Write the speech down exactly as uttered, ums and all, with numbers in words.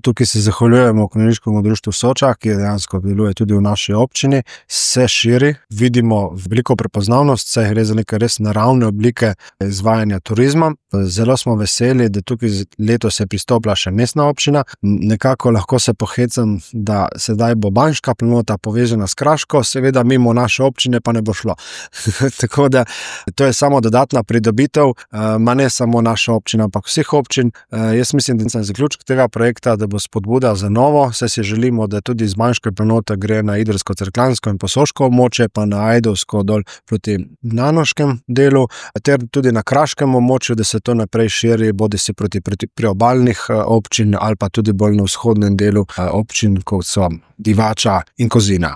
tukaj se zahvaljujemo Konjeniškemu društvu Soča, ki dejansko deluje tudi v naši občini, se širi, vidimo veliko prepoznavnost, saj gre za neke res naravne oblike izvajanja turizma. Zelo smo veseli, da tukaj letos je pristopila še mestna občina. Nekako lahko se pohecam, da sedaj bo Banjška planota povezana s Kraško, seveda mimo naše občine pa ne bo šlo. Tako da to je samo dodatna pridobitev, ma ne samo naša občina, ampak vseh občin. Jaz mislim, da je zaključek tega projekta, da bo spodbuda za novo, saj si želimo, da tudi z Banjške planote gre na Idrsko-Cerkljansko in Posoško območje, pa na Ajdovsko dol proti Nanoškem delu, ter tudi na kraškem območju, da se to naprej širi, bodi si proti, proti priobalnih občin ali pa tudi bolj na vzhodnem delu občin, kot so Divača in Kozina.